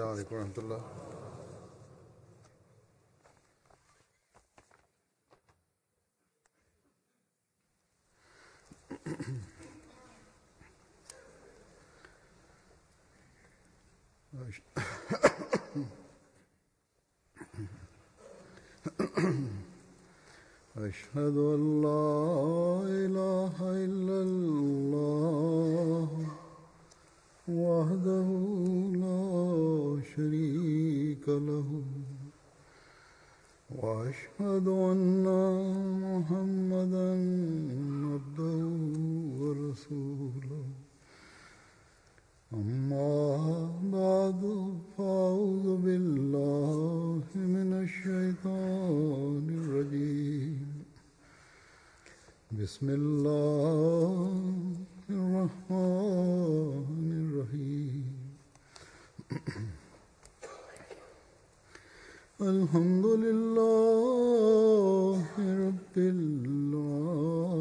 السلام عليكم ورحمة الله. أشهد أن لا إله إلا الله وحده لا شريك له وأشهد أن محمدا عبده ورسوله أما بعد فأعوذ بالله من الشيطان الرجيم بسم الله الرحمن الرحيم الحمد لله رب العالمين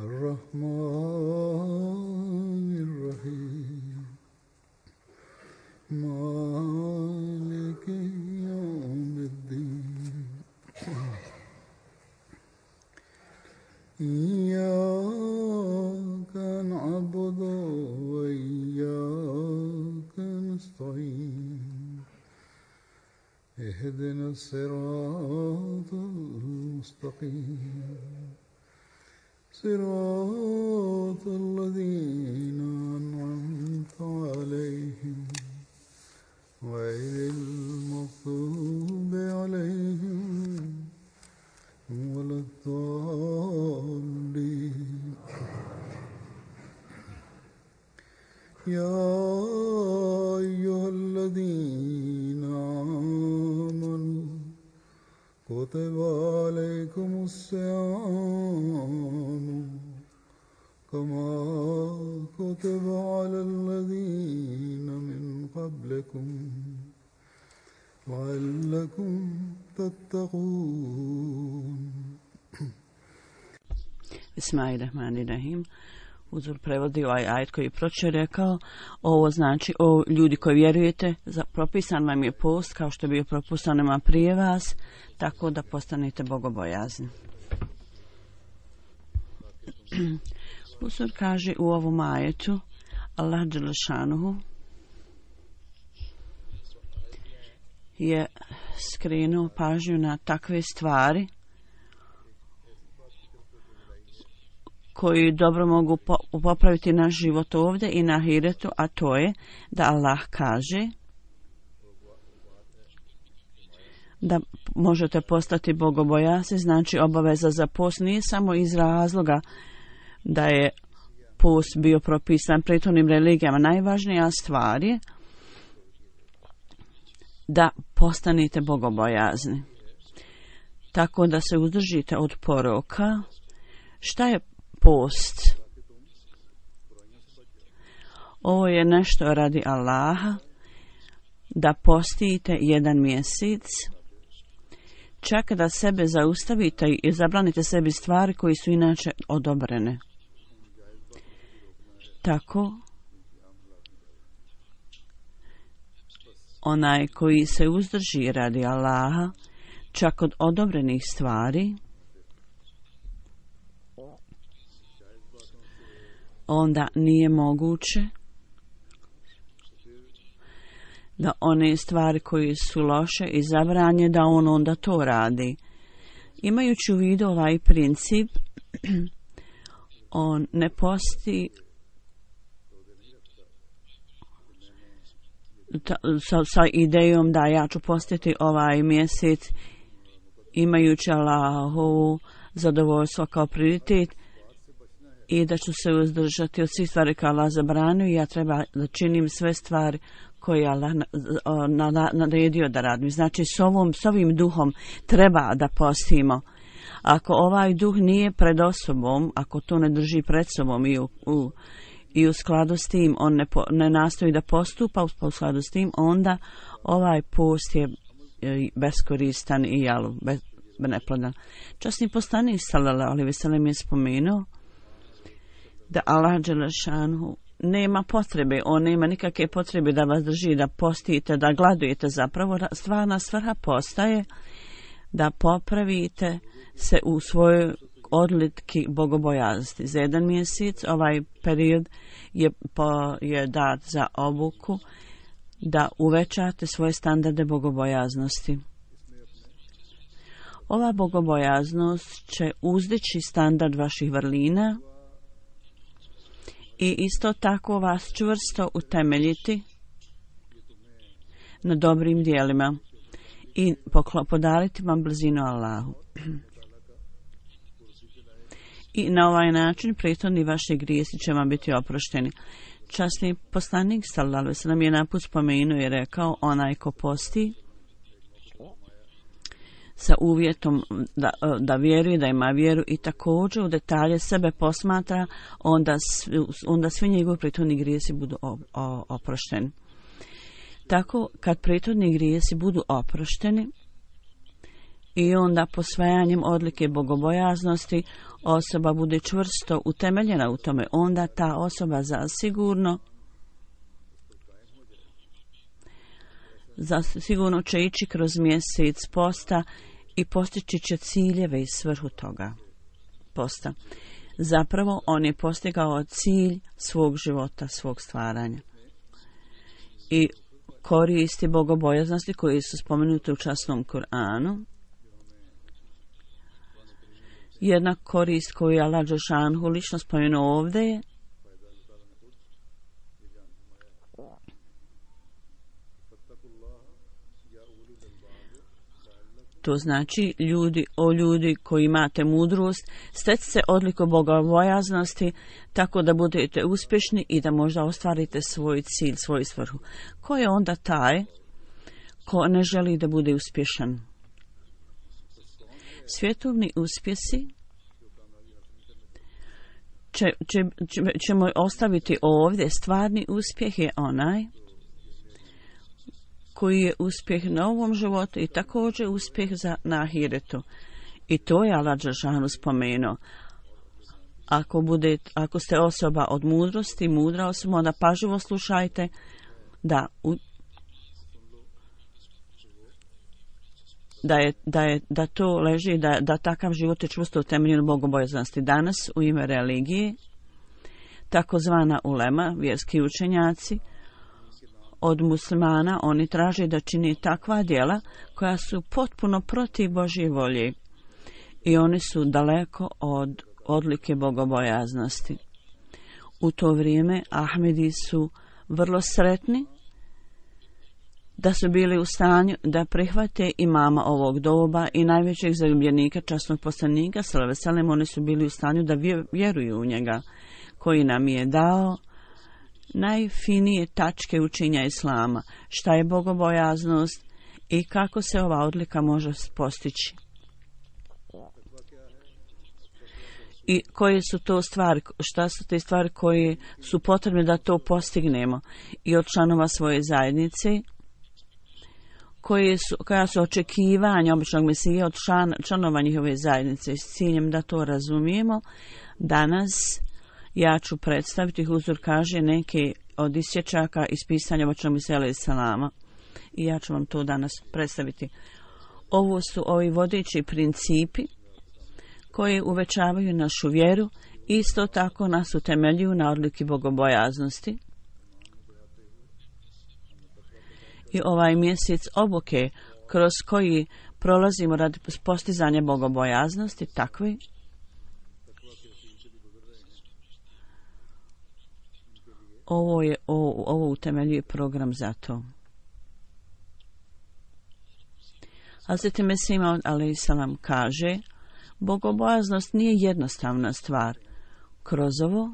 الرحمن الرحيم مالك يوم الدين إياك نعبد وإياك نستعين اهدنا الصراط المستقيم صراط الذين أنعمت عليهم غير المغضوب عليهم ولا الضالين. يا أيها الذين آمنوا كتب عليكم الصيام كما كتب على الذين من قبلكم لعلكم تتقون. Bismillahirrahmanirrahim. Uzor prevodi ovaj ajet koji je proče rekao, ovo znači, o ljudi koji vjerujete, propisan vam je post kao što je bio propisan nama prije vas, tako da postanete bogobojazni. Uzor kaže u ovom ajetu, Allah dželešanuhu je skrenuo pažnju na takve stvari koji dobro mogu popraviti naš život ovdje i na ahiretu, a to je da Allah kaže da možete postati bogobojazni, znači obaveza za post nije samo iz razloga da je post bio propisan prethodnim religijama. Najvažnija stvar je da postanete bogobojazni. Tako da se uzdržite od poroka. Šta je post? Ovo je nešto radi Allaha, da postite jedan mjesec, čak da sebe zaustavite i zabranite sebi stvari koji su inače odobrene. Tako, onaj koji se uzdrži radi Allaha, čak od odobrenih stvari, onda nije moguće da one stvari koje su loše i zabranje, da on onda to radi. Imajući u vidu ovaj princip, on ne posti sa idejom da ja ću postiti ovaj mjesec imajući Allahovu zadovoljstvo kao prioritet i da ću se uzdržati od svih stvari koje Allah zabranio i ja treba da činim sve stvari koje Allah naredio da radim. Znači s ovim duhom treba da postimo. Ako ovaj duh nije pred osobom, ako to ne drži pred sobom i u skladu s tim on ne nastoji da postupa u skladu s tim, onda ovaj post je beskoristan i neplodan. Časni poslanik sallallahu alejhi ve sellem je spomenuo da Allah dželešanu nema potrebe, on nema nikakve potrebe da vas drži, da postite, da gladujete. Zapravo stvarna svrha postaje da popravite se u svojoj odlitki bogobojaznosti. Za 1 mjesec ovaj period je dat za obuku da uvećate svoje standarde bogobojaznosti. Ova bogobojaznost će uzdići standard vaših vrlina i isto tako vas čvrsto utemeljiti na dobrim dijelima i podariti vam blizinu Allahu. I na ovaj način prethodni vaši grijesi će vam biti oprošteni. Časni poslanik sallallahu alejhi ve sellem je naput spomenuo i rekao: onaj ko posti sa uvjetom da vjeruje, da ima vjeru i također u detalje sebe posmatra, onda svi njegovi prethodni grijesi budu oprošteni. Tako kad prethodni grijesi budu oprošteni i onda posvajanjem odlike bogobojaznosti osoba bude čvrsto utemeljena u tome, onda ta osoba zasigurno će ići kroz mjesec posta i postići će ciljeve i svrhu toga posta. Zapravo on je postigao cilj svog života, svog stvaranja. I koristi bogobojaznosti koji su spomenuti u časnom Kur'anu. Jedna korist koju je Allah dželešanu lično spomenuo ovdje je to znači ljudi koji imate mudrost, stecite odliku bogobojaznosti tako da budete uspješni i da možda ostvarite svoj cilj, svoju svrhu. Ko je onda taj ko ne želi da bude uspješan? Svjetovni uspjesi ćemo ostaviti ovdje. Stvarni uspjeh je onaj koji je uspjeh na ovom životu i također uspjeh na ahiretu. I to je Allah dželešanu spomenuo. Ako ste osoba od mudrosti, mudra osoba, onda pažljivo slušajte da to leži, da takav život je čvrsto utemeljen u bogobojaznosti. Danas u ime religije, takozvana ulema, vjerski učenjaci, od muslimana oni traže da čini takva djela koja su potpuno protiv Božje volje i oni su daleko od odlike bogobojaznosti. U to vrijeme Ahmedi su vrlo sretni da su bili u stanju da prihvate imama ovog doba i najvećeg zaljubljenika časnog poslanika sallallahu alejhi ve sellem. Oni su bili u stanju da vjeruju u njega koji nam je dao najfinije tačke učenja islama, šta je bogobojaznost i kako se ova odlika može postići. I koje su to stvari, šta su te stvari koje su potrebne da postignemo i od članova svoje zajednice, koja su očekivanja običnog Mesije od članova njihove zajednice s ciljem da to razumijemo. Danas ja ću predstaviti, Huzur kaže, neke od isječaka iz pisanja običnog Mesije alejhi selama i ja ću vam to danas predstaviti. Ovo su ovi vodeći principi koje uvećavaju našu vjeru i isto tako nas utemeljuju na odliki bogobojaznosti. I ovaj mjesec obuke kroz koji prolazimo radi postizanja bogobojaznosti takvi ovo utemeljuje program za to. Hazreti Mesih Maud alejhi selam kaže: bogobojaznost nije jednostavna stvar. Kroz ovo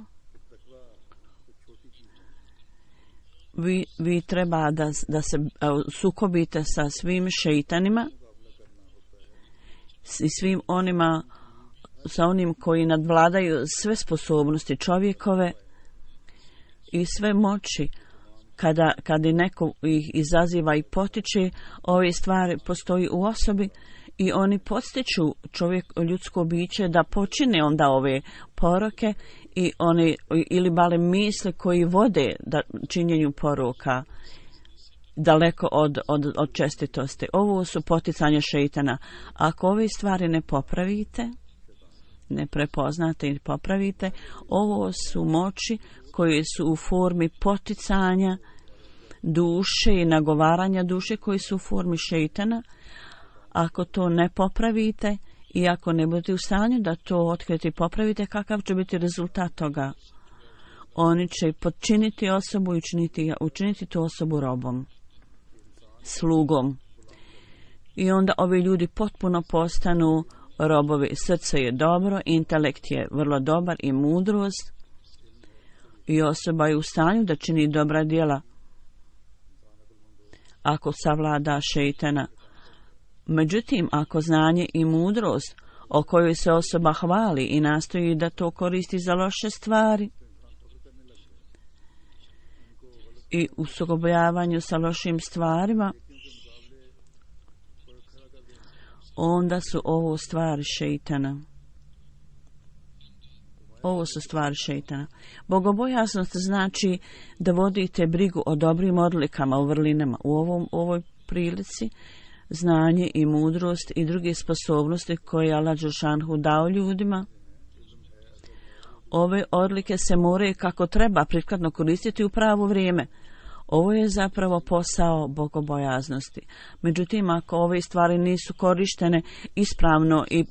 vi treba da se sukobite sa svim šeitanima i svim onima, sa onim koji nadvladaju sve sposobnosti čovjekove i sve moći. Kada neko ih izaziva i potiče, ove stvari postoji u osobi i oni podstiču ljudsko biće da počine onda ove poroke i one ili bale misle koji vode činjenju poruka daleko od čestitosti. Ovo su poticanja šeitana. Ako ove stvari ne popravite, ne prepoznate i popravite, ovo su moći koje su u formi poticanja duše i nagovaranja duše koji su u formi šeitana. Ako to ne popravite i ako ne budete u stanju da to otkriti i popravite, kakav će biti rezultat toga? Oni će podčiniti osobu i učiniti tu osobu robom, slugom. I onda ovi ljudi potpuno postanu robovi. Srce je dobro, intelekt je vrlo dobar i mudrost i osoba je u stanju da čini dobra djela ako savlada šeitana. Međutim, ako znanje i mudrost o kojoj se osoba hvali i nastoji da to koristi za loše stvari i u sukobljavanju sa lošim stvarima, onda su ovo stvari šeitana. Ovo su stvari šeitana. Bogobojaznost znači da vodite brigu o dobrim odlikama u vrlinama. U ovoj prilici znanje i mudrost i druge sposobnosti koje je Allah dželešanohu dao ljudima. Ove odlike se moraju kako treba prikladno koristiti u pravo vrijeme. Ovo je zapravo posao bogobojaznosti. Međutim, ako ove stvari nisu korištene ispravno i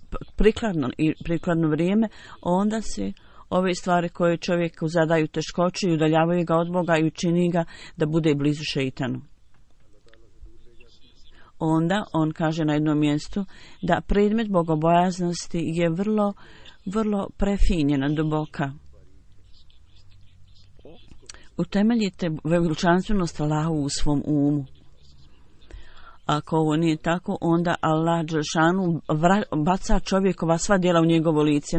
prikladno vrijeme, onda se ove stvari koje čovjeku zadaju teškoće i udaljavaju ga od Boga i učini ga da bude blizu šeitanu. Onda on kaže na jednom mjestu da predmet bogobojaznosti je vrlo, vrlo prefinjena, duboka. Utemeljite veličanstvenost Allahu u svom umu. Ako ovo nije tako, onda Allah dželešanu baca čovjekova sva djela u njegovo lice.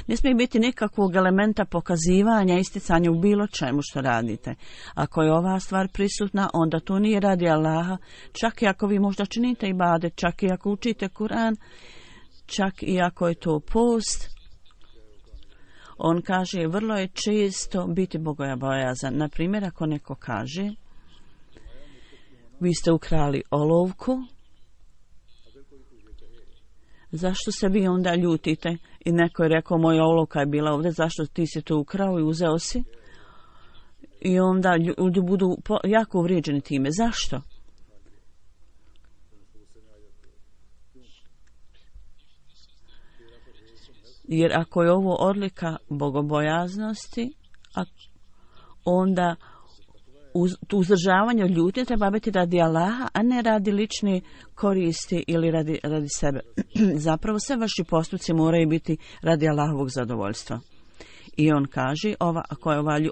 Ne smije biti nikakvog elementa pokazivanja, isticanja u bilo čemu što radite. Ako je ova stvar prisutna, onda to nije radi Allaha, čak i ako vi možda činite ibadet, čak i ako učite Kur'an, čak i ako je to post. On kaže, vrlo je često biti bogobojazan. Na primjer, ako neko kaže, vi ste ukrali olovku, zašto se vi onda ljutite? I neko je rekao, moja olovka je bila ovdje, zašto ti si to ukrao i uzeo si? I onda ljudi budu jako uvrijeđeni time. Zašto? Jer ako je ovo odlika bogobojaznosti, onda uzdržavanje od ljutnje treba biti radi Allaha, a ne radi lične koristi ili radi sebe. Zapravo sve vaši postupci moraju biti radi Allahovog zadovoljstva. I on kaže,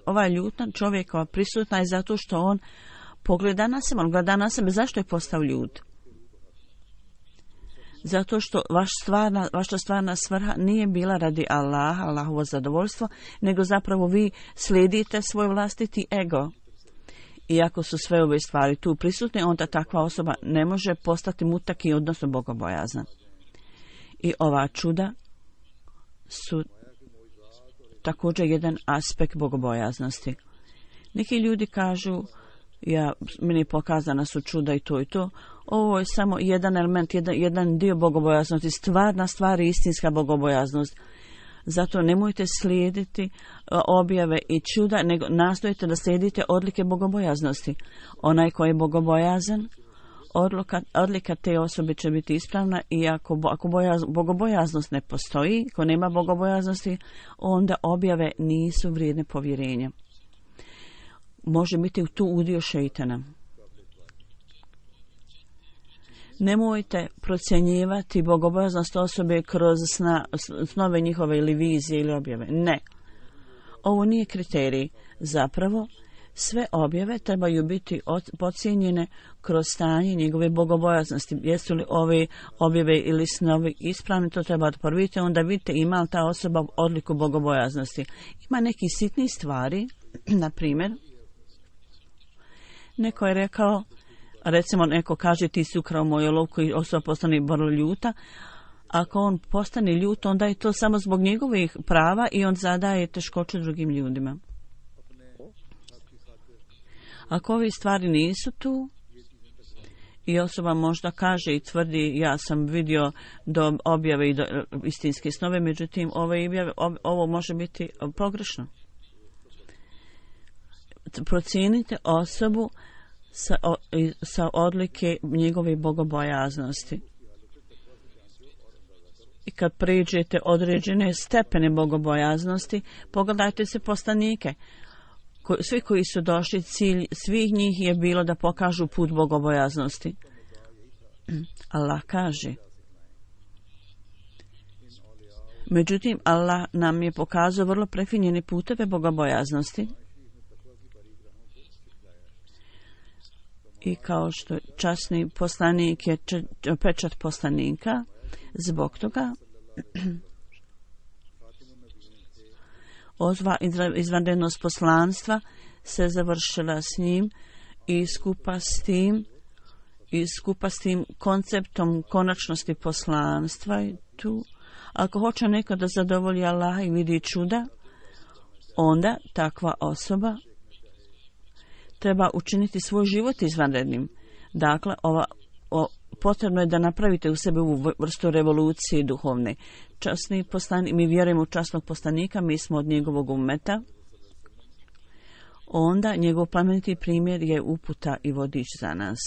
ova ljutna čovjekova prisutna je zato što on pogleda na sebe, on gleda na sebe. Zašto je postao ljut? Zato što vaša stvarna svrha nije bila radi Allaha, Allahovo zadovoljstvo, nego zapravo vi slijedite svoj vlastiti ego. I ako su sve ove stvari tu prisutne, onda takva osoba ne može postati mutaki, odnosno bogobojazna. I ova čuda su također jedan aspekt bogobojaznosti. Neki ljudi kažu, meni pokazana su čuda i to i to. Ovo je samo jedan element, jedan dio bogobojaznosti, stvarna stvar i istinska bogobojaznost. Zato nemojte slijediti objave i čuda, nego nastojite da slijedite odlike bogobojaznosti. Onaj koji je bogobojazan, odlika te osobe će biti ispravna i ako bogobojaznost ne postoji, ako nema bogobojaznosti, onda objave nisu vrijedne povjerenja. Može biti tu udio šeitana. Nemojte procjenjivati bogobojaznost osobe kroz snove njihove ili vizije ili objave. Ne. Ovo nije kriterij. Zapravo, sve objave trebaju biti pocijenjene kroz stanje njegove bogobojaznosti. Jesu li ove objave ili snovi ispravni, to treba odporviti, onda vidite ima li ta osoba odliku bogobojaznosti. Ima neki sitni stvari, na primjer, neko je rekao, recimo neko kaže ti si ukrao moju olovku i osoba postane vrlo ljuta, Ako on postane ljut, onda je to samo zbog njegovih prava i on zadaje teškoće drugim ljudima. Ako ove stvari nisu tu i osoba možda kaže i tvrdi ja sam vidio do objave i do istinske snove, međutim ovo može biti pogrešno. Procijenite osobu sa odlike njegove bogobojaznosti. I kad pređete određene stepene bogobojaznosti, pogledajte se poslanike. Svi koji su došli, cilj svih njih je bilo da pokažu put bogobojaznosti. Allah kaže. Međutim, Allah nam je pokazao vrlo prefinjene puteve bogobojaznosti. I kao što časni poslanik je pečat poslanika, zbog toga ozva izvanrednost poslanstva se završila s njim i skupa s tim konceptom konačnosti poslanstva i tu. Ako hoće neko da zadovolji Allaha i vidi čuda, onda takva osoba treba učiniti svoj život izvanrednim. Dakle, potrebno je da napravite u sebi ovu vrstu revolucije duhovne. Časni poslanik, mi vjerujemo u časnog poslanika, mi smo od njegovog ummeta. Onda njegov plemeniti primjer je uputa i vodič za nas.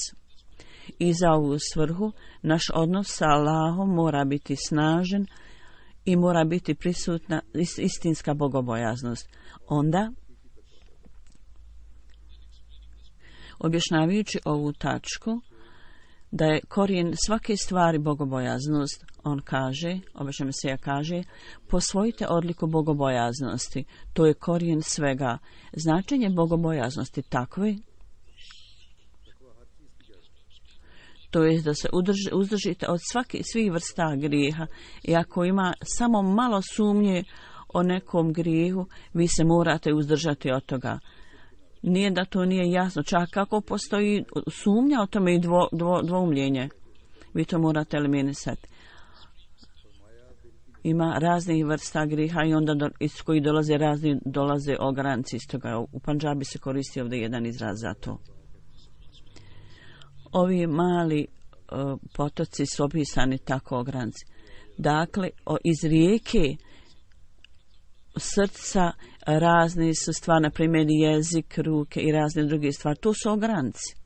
I za ovu svrhu naš odnos sa Allahom mora biti snažan i mora biti prisutna istinska bogobojaznost. Onda, objašnjavajući ovu tačku, da je korijen svake stvari bogobojaznost, on kaže, obično Mesija kaže, posvojite odliku bogobojaznosti, to je korijen svega. Značenje bogobojaznosti takve, to je da se uzdržite od svih vrsta grijeha i ako ima samo malo sumnje o nekom grijehu, vi se morate uzdržati od toga. Nije da to nije jasno, čak kako postoji sumnja o tome i dvoumljenje. Vi to morate eliminisati. Ima raznih vrsta griha i onda iz kojih dolaze ogranci iz toga. U Pandžabi se koristi ovdje jedan izraz za to. Ovi mali potoci su opisani tako ogranci. Dakle, iz rijeke srca razne su stvari, na primjer jezik, ruke i razne druge stvari. To su ogranci.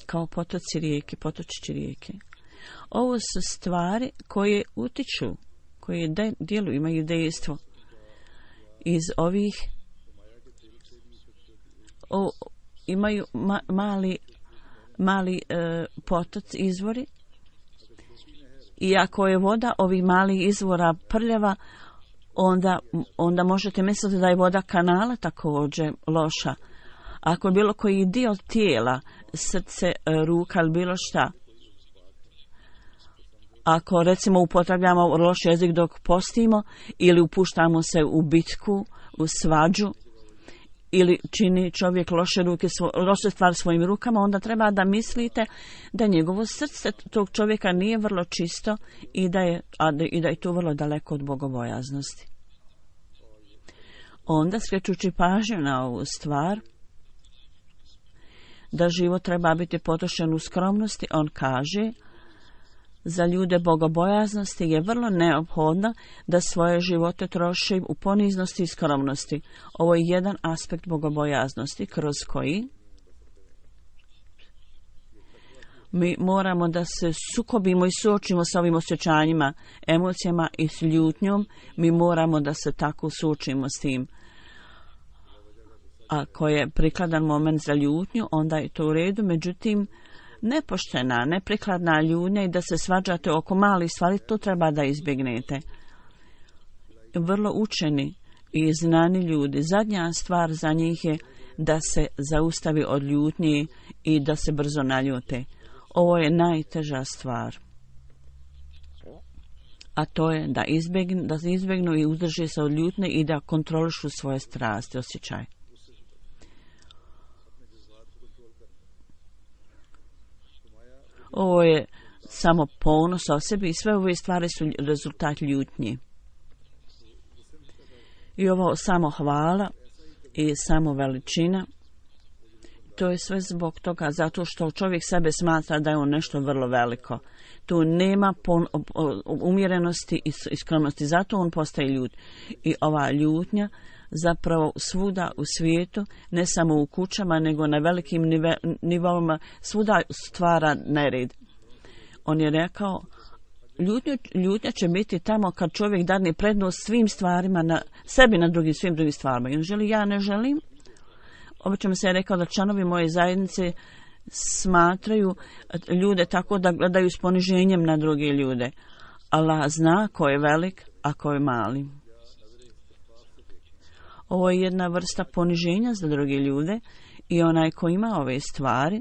Kao potoci rijeke, potočići rijeke. Ovo su stvari koje utiču, koje djeluju, imaju dejstvo. Iz ovih imaju mali potoci, izvori. I ako je voda ovih malih izvora prljava, onda možete misliti da je voda kanala također loša. Ako je bilo koji dio tijela, srce, ruka ili bilo šta, ako recimo upotrebljamo loš jezik dok postimo ili upuštamo se u bitku, u svađu, ili čini čovjek loše stvari svojim rukama, onda treba da mislite da njegovo srce tog čovjeka nije vrlo čisto i da je to vrlo daleko od bogobojaznosti. Onda, skrećući pažnju na ovu stvar, da život treba biti potrošen u skromnosti, on kaže, za ljude bogobojaznosti je vrlo neophodno da svoje živote troše u poniznosti i skromnosti. Ovo je jedan aspekt bogobojaznosti kroz koji mi moramo da se sukobimo i suočimo sa ovim osjećanjima, emocijama i s ljutnjom. Mi moramo da se tako suočimo s tim. Ako je prikladan moment za ljutnju, onda je to u redu, međutim, nepoštena, neprikladna ljutnja i da se svađate oko malih stvari, to treba da izbjegnete. Vrlo učeni i znani ljudi, zadnja stvar za njih je da se zaustavi od ljutnje i da se brzo naljute. Ovo je najteža stvar. A to je da izbjegnu i uzdrže se od ljutnje i da kontrolišu svoje strasti, osjećaje. Ovo je samo ponos o sebi i sve ove stvari su rezultat ljutnji. I ovo samo hvala i samo veličina, to je sve zbog toga, zato što čovjek sebe smatra da je on nešto vrlo veliko. Tu nema umjerenosti i skromnosti, zato on postaje ljut. I ova ljutnja zapravo svuda u svijetu, ne samo u kućama, nego na velikim nivoima, svuda stvara nered. On je rekao, ljutnja će biti tamo kad čovjek dadne prednost svim stvarima, na sebi na svim drugim stvarima. I on želi, ja ne želim. Obično se je rekao da članovi moje zajednice smatraju ljude tako da gledaju s poniženjem na druge ljude. Allah zna ko je velik, a ko je mali. Ovo je jedna vrsta poniženja za druge ljude i onaj ko ima ove stvari,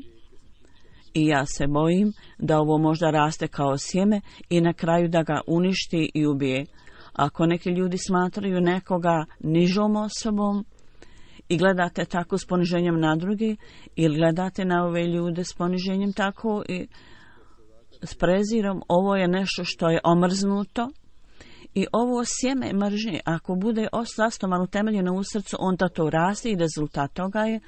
i ja se bojim da ovo možda raste kao sjeme i na kraju da ga uništi i ubije. Ako neki ljudi smatraju nekoga nižom osobom i gledate tako s poniženjem na drugi, ili gledate na ove ljude s poniženjem tako i s prezirom, ovo je nešto što je omrznuto. I ovo sjeme mržnje, ako bude zasnovano utemeljeno u srcu, onda to raste i rezultat toga je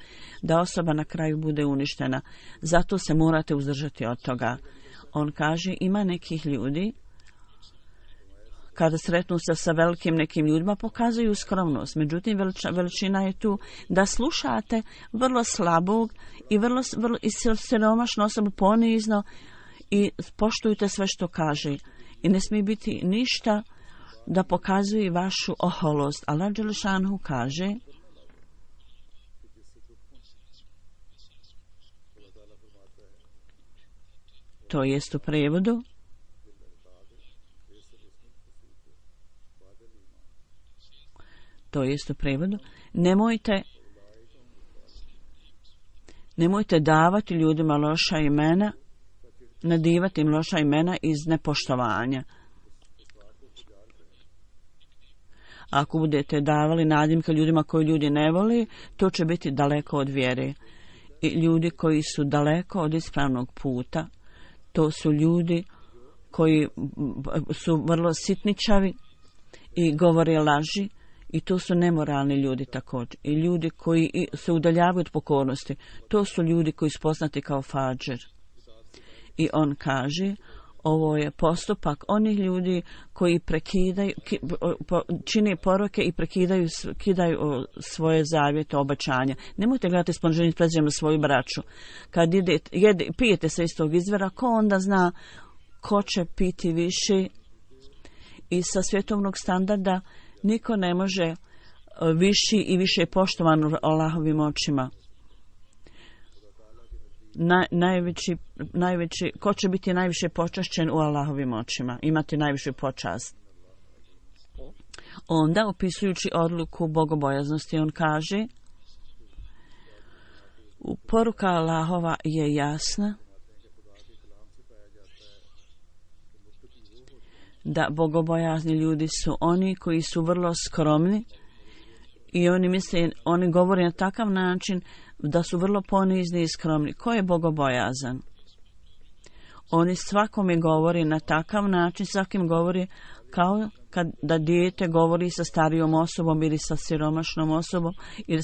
da osoba na kraju bude uništena. Zato se morate uzdržati od toga. On kaže, ima nekih ljudi, kada sretnu se sa velikim nekim ljudima, pokazuju skromnost. Međutim, veličina je tu da slušate vrlo slabog i vrlo siromašnu osobu ponizno i poštujte sve što kaže. I ne smije biti ništa da pokazuje vašu oholost. Allah Đelešanhu kaže, to jest u prevodu, nemojte davati ljudima loša imena, nadivati im loša imena iz nepoštovanja. Ako budete davali nadimke ljudima koji ljudi ne voli, to će biti daleko od vjere. I ljudi koji su daleko od ispravnog puta, to su ljudi koji su vrlo sitničavi i govore laži, i to su nemoralni ljudi također. I ljudi koji se udaljavaju od pokornosti, to su ljudi koji su poznati kao fadžer. I on kaže, ovo je postupak onih ljudi koji čine poroke i kidaju svoje zavjete, obećanja. Nemojte gledati s poniženjem prezirom na svoju braću. Kad pijete se iz tog izvora, ko onda zna ko će piti više? I sa svjetovnog standarda niko ne može viši i više poštovan u Allahovim očima. Ko će biti najviše počašćen u Allahovim očima, imati najvišu počast. Onda, opisujući odluku bogobojaznosti, on kaže, poruka Allahova je jasna, da bogobojazni ljudi su oni koji su vrlo skromni i oni govore na takav način da su vrlo ponizni i skromni. Ko je bogobojazan? Oni svakome govori na takav način, svakim govori kao da dijete govori sa starijom osobom ili sa siromašnom osobom ili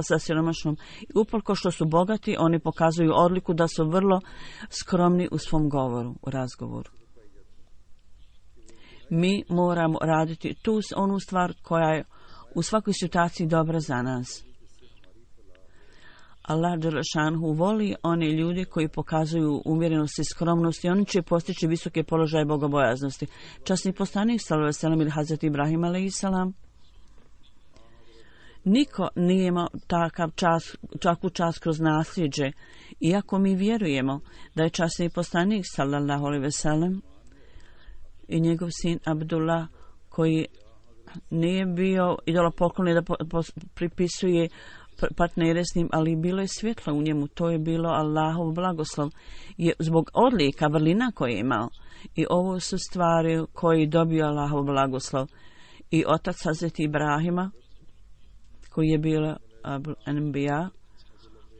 sa siromašnom. Uprko što su bogati, oni pokazuju odliku da su vrlo skromni u svom govoru, u razgovoru. Mi moramo raditi tu onu stvar koja je u svakoj situaciji dobra za nas. Allah Đelešanhu voli one ljudi koji pokazuju umjerenost i skromnost i oni će postići visoke položaje bogobojaznosti. Časni poslanik sallallahu alejhi ve sellem ili Hazreti Ibrahim alejhiselam, niko nije imao takvu čast kroz nasljeđe, iako mi vjerujemo da je časni poslanik sallallahu alejhi ve sellem i njegov sin Abdullah, koji nije bio idolopoklonik da pripisuje partnere s njim, ali bilo je svjetlo u njemu, to je bilo Allahov blagoslov, je zbog odlika, vrlina koje je imao. I ovo su stvari koje dobio Allahov blagoslov. I otac Hazreti Ibrahima, koji je bio Abul Anbiya,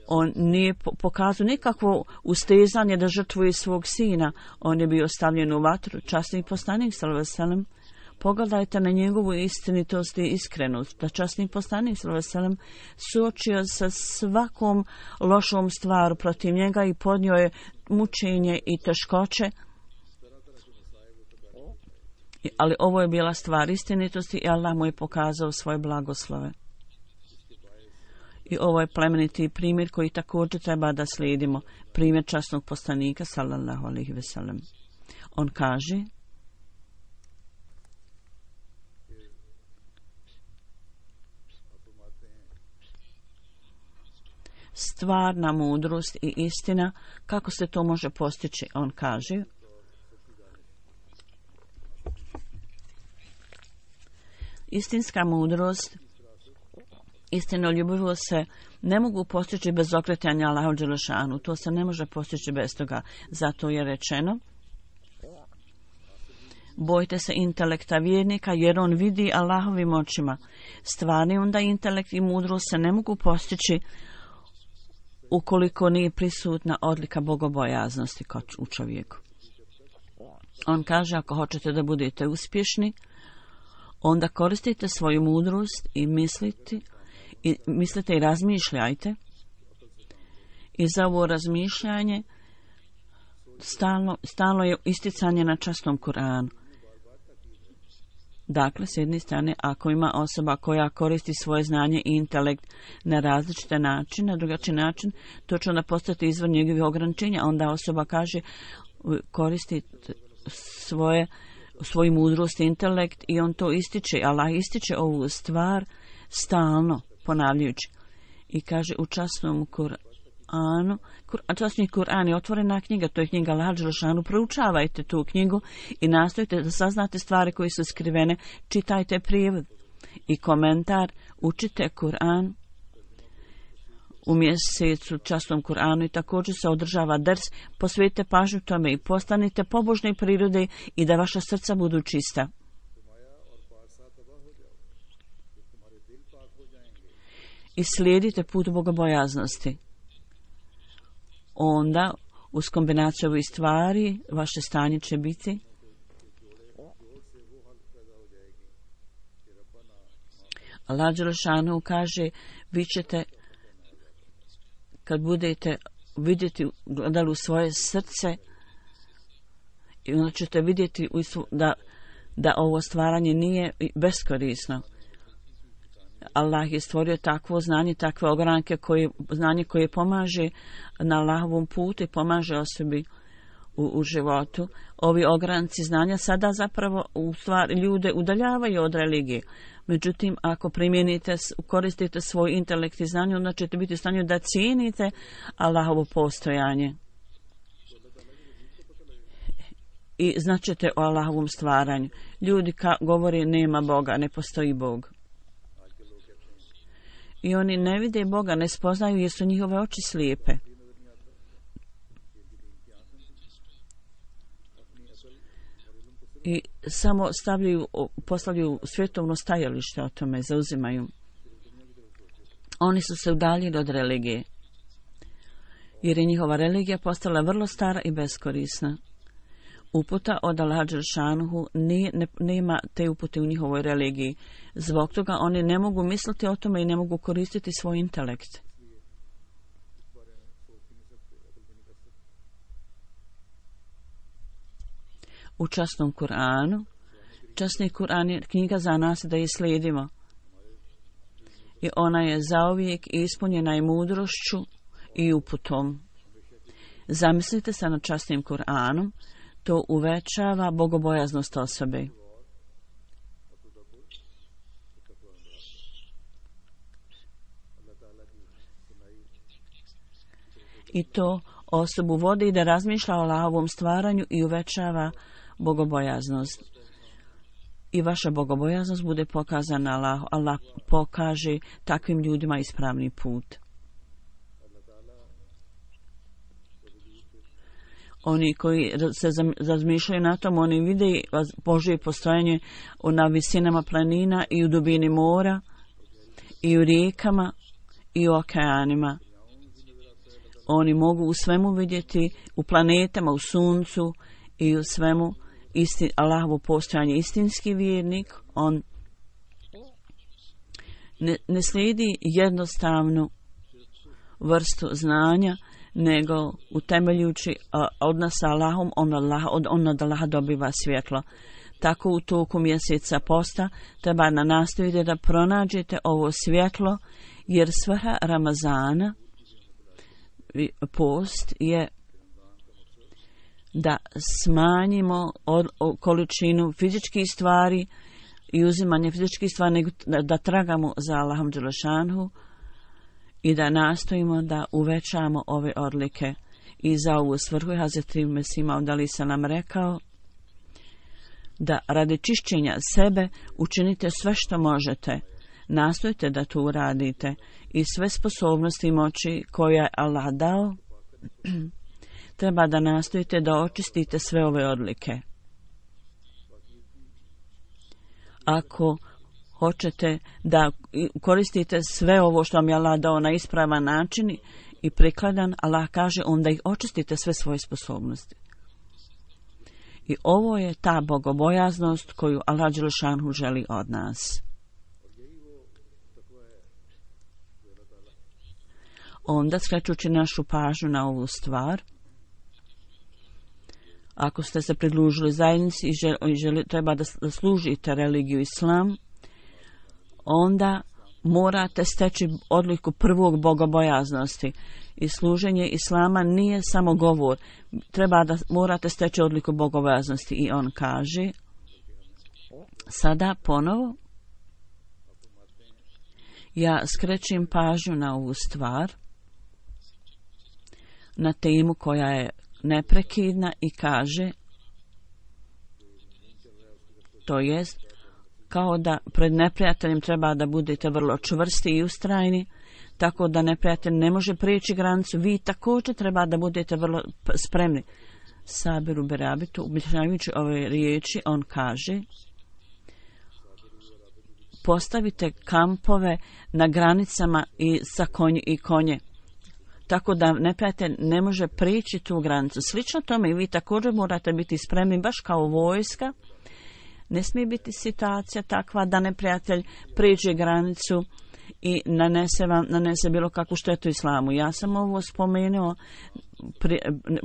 On nije pokazao nikakvo ustezanje da žrtvuje svog sina. On je bio stavljen u vatru. Časni poslanik sallallahu alejhi ve sellem, pogledajte na njegovu istinitost i iskrenost. Da časni poslanik sallallahu alejhi ve sellem suočio sa svakom lošom stvaru protiv njega i podnio je mučenje i teškoće. Ali ovo je bila stvar istinitosti i Allah mu je pokazao svoje blagoslove. I ovo je plemeniti primjer koji također treba da slijedimo. Primjer časnog poslanika sallallahu alejhi ve sellem. On kaže: stvarna mudrost i istina, kako se to može postići? On kaže: istinska mudrost, istinoljubivost se ne mogu postići bez okretanja Allahu dželešanu. To se ne može postići bez toga. Zato je rečeno: bojte se intelekta vjernika jer on vidi Allahovim očima. Stvarni onda intelekt i mudrost se ne mogu postići ukoliko nije prisutna odlika bogobojaznosti u čovjeku. On kaže: ako hoćete da budete uspješni, onda koristite svoju mudrost i mislite i razmišljajte. I za ovo razmišljanje stalno je isticanje na časnom Kur'anu. Dakle, s jedne strane, ako ima osoba koja koristi svoje znanje i intelekt na različite načine, na drugačiji način, to će onda postati izvor njegovih ograničenja. Onda osoba kaže: koristi svoju mudrost i intelekt, i on to ističe. Allah ističe ovu stvar stalno, ponavljajući. I kaže u časnom Kur'anu, časni Kur'an je otvorena knjiga, to je knjiga Allaha dželešanu. Proučavajte tu knjigu i nastojite da saznate stvari koje su skrivene. Čitajte prijevod i komentar, učite Kur'an u mjesecu časnom Kur'anu i također se održava ders. Posvetite pažnju tome i postanite pobožne prirode i da vaša srca budu čista. I slijedite put bogobojaznosti. Onda, uz kombinaciju ovih stvari, vaše stanje će biti Allah dželešanu kaže: vi ćete, kad budete vidjeti, gledali u svoje srce, i onda ćete vidjeti da ovo stvaranje nije beskorisno. Allah je stvorio takvo znanje, takve ogranke, znanje koje pomaže na Allahovom putu i pomaže osobi u životu. Ovi ogranci znanja sada zapravo u stvari ljude udaljavaju od religije. Međutim, ako koristite svoj intelekt i znanje, onda ćete biti u stanju da cijenite Allahovo postojanje. I značite o Allahovom stvaranju. Ljudi govore: nema Boga, ne postoji Bog. I oni ne vide Boga, ne spoznaju jer su njihove oči slijepe. I samo postavljaju svjetovno stajalište o tome, zauzimaju. Oni su se udaljili od religije, jer je njihova religija postala vrlo stara i beskorisna. Uputa od Allaha dželešanu nema te upute u njihovoj religiji. Zbog toga oni ne mogu misliti o tome i ne mogu koristiti svoj intelekt. U časnom Kur'anu, časni Kur'an je knjiga za nas da je slijedimo. I ona je zauvijek ispunjena i mudrošću i uputom. Zamislite se nad časnim Kur'anom. To uvećava bogobojaznost osobe. I to osobu vodi da razmišlja o Allahovom stvaranju i uvećava bogobojaznost. I vaša bogobojaznost bude pokazana Allahu. Allah pokaže takvim ljudima ispravni put. Oni koji se razmišljaju na tom, oni vide Božje postojanje na visinama planina i u dubini mora i u rijekama i u okeanima. Oni mogu u svemu vidjeti, u planetama, u suncu i u svemu Allahovo postojanje. Istinski vjernik, on ne slijedi jednostavnu vrstu znanja, nego utemeljujući odnos sa Allahom, on od Allaha dobiva svjetlo. Tako u toku mjeseca posta treba nastojite da pronađete ovo svjetlo, jer svrha Ramazana, post, je da smanjimo količinu fizičkih stvari i uzimanje fizičkih stvari, nego da tragamo za Allahom dželešanhu i da nastojimo da uvećamo ove odlike. I za ovu svrhu je Hazreti Mesih Maud alejhi selam rekao da radi čišćenja sebe učinite sve što možete. Nastojte da to uradite i sve sposobnosti i moći koje je Allah dao, treba da nastojite da očistite sve ove odlike. Ako hoćete da koristite sve ovo što vam je Allah dao na ispravan način i prikladan, Allah kaže onda ih očistite sve svoje sposobnosti. I ovo je ta bogobojaznost koju Allah dželešanhu želi od nas. Onda, skrećući našu pažnju na ovu stvar, ako ste se pridružili zajednici i treba da služite religiju Islam, onda morate steći odliku prvog bogobojaznosti. I služenje Islama nije samo govor, morate steći odliku bogobojaznosti. I on kaže, sada ponovo, ja skrećem pažnju na ovu stvar, na temu koja je neprekidna i kaže, to jest, kao da pred neprijateljem treba da budete vrlo čvrsti i ustrajni, tako da neprijatelj ne može prijeći granicu. Vi također treba da budete vrlo spremni. Sabiru berabitu, objašnjavajući ove riječi, on kaže, postavite kampove na granicama i sa konje, tako da neprijatelj ne može prijeći tu granicu. Slično tome i vi također morate biti spremni, baš kao vojska. Ne smije biti situacija takva da neprijatelj prijeđe granicu i nanese bilo kakvu štetu Islamu. Ja sam ovo spomenuo,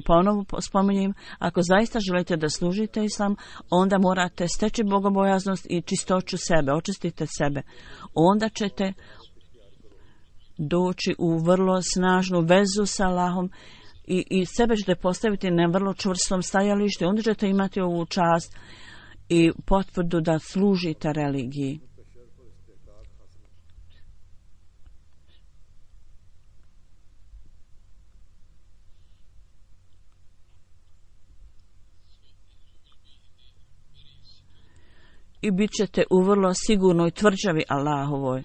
ponovo spominjem, ako zaista želite da služite Islam, onda morate steći bogobojaznost i čistoću sebe, očistite sebe. Onda ćete doći u vrlo snažnu vezu sa Allahom i sebe ćete postaviti na vrlo čvrstom stajalištu. Onda ćete imati ovu čast i potvrdu da služite religiji. I bit ćete u vrlo sigurnoj tvrđavi Allahovoj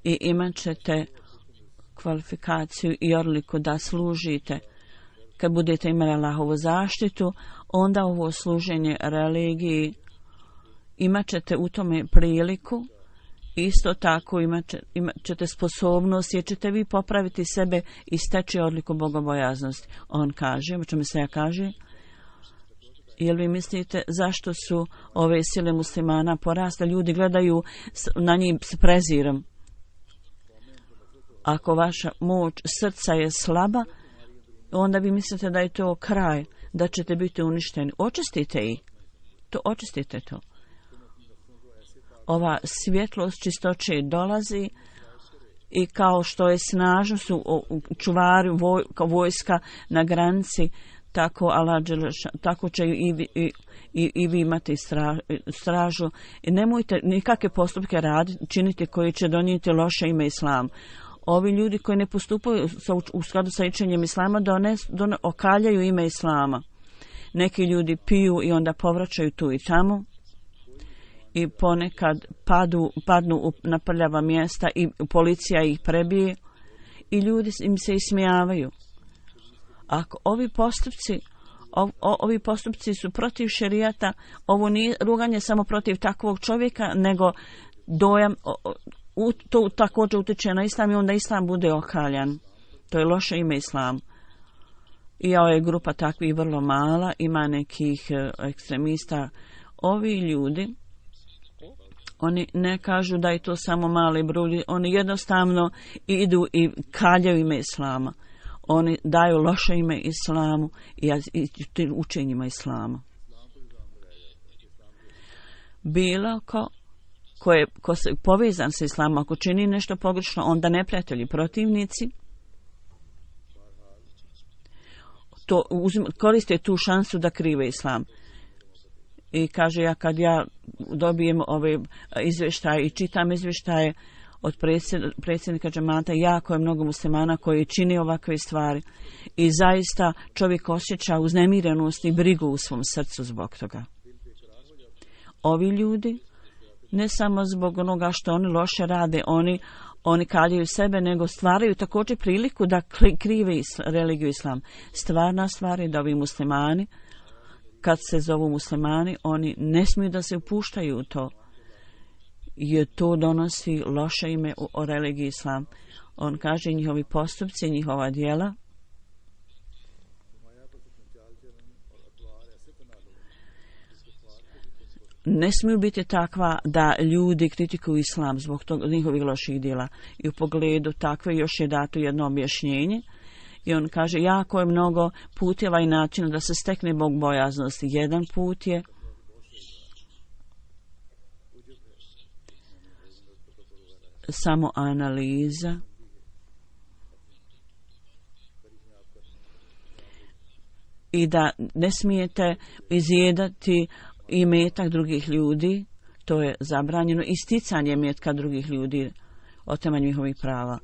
i imat ćete kvalifikaciju i odliku da služite. Kad budete imali Allahovu zaštitu, onda ovo služenje religiji imat ćete u tome priliku. Isto tako imat ćete sposobnost, jer ćete vi popraviti sebe i steći odliku bogobojaznosti. On kaže, o čemu se ja kaže, jel vi mislite zašto su ove sile muslimana porasle? Ljudi gledaju na njih s prezirom. Ako vaša moć srca je slaba, onda vi mislite da je to kraj, da ćete biti uništeni. Očistite ih. Očistite to. Ova svjetlost čistoće dolazi i kao što je snažno su čuvari vojska na granici, tako će i vi imati stražu. I nemojte nikakve postupke činiti koji će donijeti loše ime Islam. Ovi ljudi koji ne postupaju u skladu sa učenjem Islama okaljaju ime Islama. Neki ljudi piju i onda povraćaju tu i tamo i ponekad padnu na prljava mjesta i policija ih prebije i ljudi im se ismijavaju. Ako ovi postupci su protiv šerijata, ovo nije ruganje samo protiv takvog čovjeka, nego dojam, to također utječe na Islam i onda Islam bude okaljan. To je loše ime Islam. I ova je grupa takvih vrlo mala, ima nekih ekstremista. Ovi ljudi, oni ne kažu da je to samo mali broj, oni jednostavno idu i kaljaju ime islama. Oni daju loše ime islamu i učenjima islama. Bilo ko se povezan sa islamom, ako čini nešto pogrešno, onda neprijatelji, protivnici, koriste tu šansu da krive islam. I kaže, kad ja dobijem ove izvještaje i čitam izvještaje od predsjednika džemata, jako je mnogo muslimana koji čini ovakve stvari i zaista čovjek osjeća uznemirenost i brigu u svom srcu zbog toga. Ovi ljudi, ne samo zbog onoga što oni loše rade, oni kaljaju sebe, nego stvaraju također priliku da krive religiju islam. Stvarna stvar je da ovi muslimani, kad se zovu muslimani, oni ne smiju da se upuštaju u to, jer to donosi loše ime o religiji islam. On kaže, njihovi postupci, njihova djela ne smiju biti takva da ljudi kritikuju islam zbog njihovih loših djela. I u pogledu takve još je dato jedno objašnjenje. I on kaže, jako je mnogo puteva i načina da se stekne bogobojaznost. Jedan put je samo analiza i da ne smijete izjedati imetak drugih ljudi, to je zabranjeno, isticanje imetka drugih ljudi, otimanje njihovih prava.